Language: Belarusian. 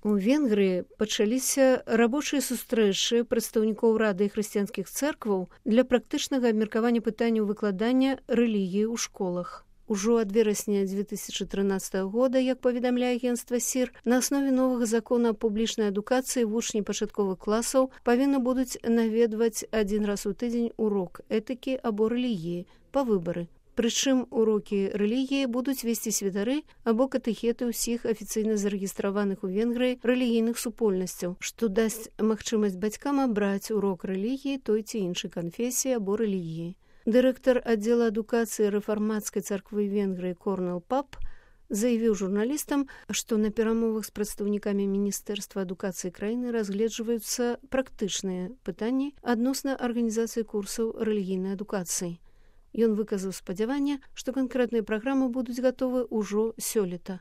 У Венгрыі пачаліся рабочыя сустрэчы прадстаўнікоў Рады хрысціянскіх цэркваў для практычнага абмеркавання пытанняў выкладання рэлігіі ў школах. Ужо ад верасня 2013 года, як паведамляе агенцтва СІР, на аснове новага закона аб публічнай адукацыі вучні пачатковых класаў павінны будуць наведваць адзін раз у тыдзень урок этыкі або рэлігіі па выбары. Прычым урокі рэлігіі будуць весці святары або катэхеты ўсіх афіцыйна зарэгістраваных у Венгрыі рэлігійных супольнасцяў, што дасць магчымасць бацькам абраць урок рэлігіі той ці іншай канфесіі або рэлігіі. Дырэктар аддзела адукацыі рэфармацкай царквы Венгрыі Корнел Пап заявіў журналістам, што на перамовах з прадстаўнікамі Міністэрства адукацыі краіны разгледжваюцца практычныя пытанні адносна арганізацыі курсаў рэлігійнай адукацыі. Ён выказаў спадзяванне, што канкрэтныя праграмы будуць гатовы ўжо сёлета.